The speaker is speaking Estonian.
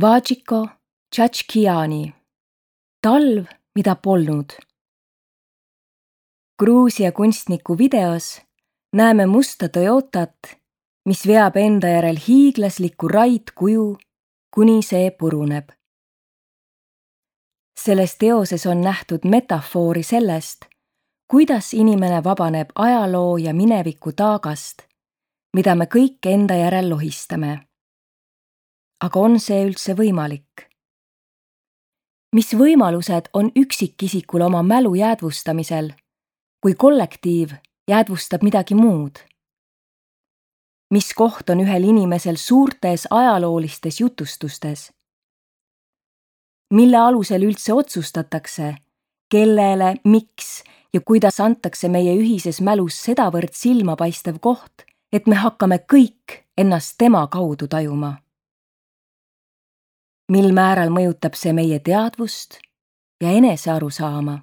Vajiko Tšatškijani. Talv, mida polnud. Gruusia kunstniku videos näeme musta Toyotat, mis veab enda järel hiiglaslikku raidkuju, kuni see puruneb. Selles teoses on nähtud metafoori sellest, kuidas inimene vabaneb ajaloo ja mineviku taagast, mida me kõik enda järel lohistame. Aga on see üldse võimalik? Mis võimalused on üksikisikul oma mälu jäädvustamisel, kui kollektiiv jäädvustab midagi muud? Mis koht on ühel inimesel suurtes ajaloolistes jutustustes? Mille alusel üldse otsustatakse, kellele, miks ja kuidas antakse meie ühises mälus sedavõrd silmapaistev koht, et me hakkame kõik ennast tema kaudu tajuma? Mil määral mõjutab see meie teadvust ja enese arusaama?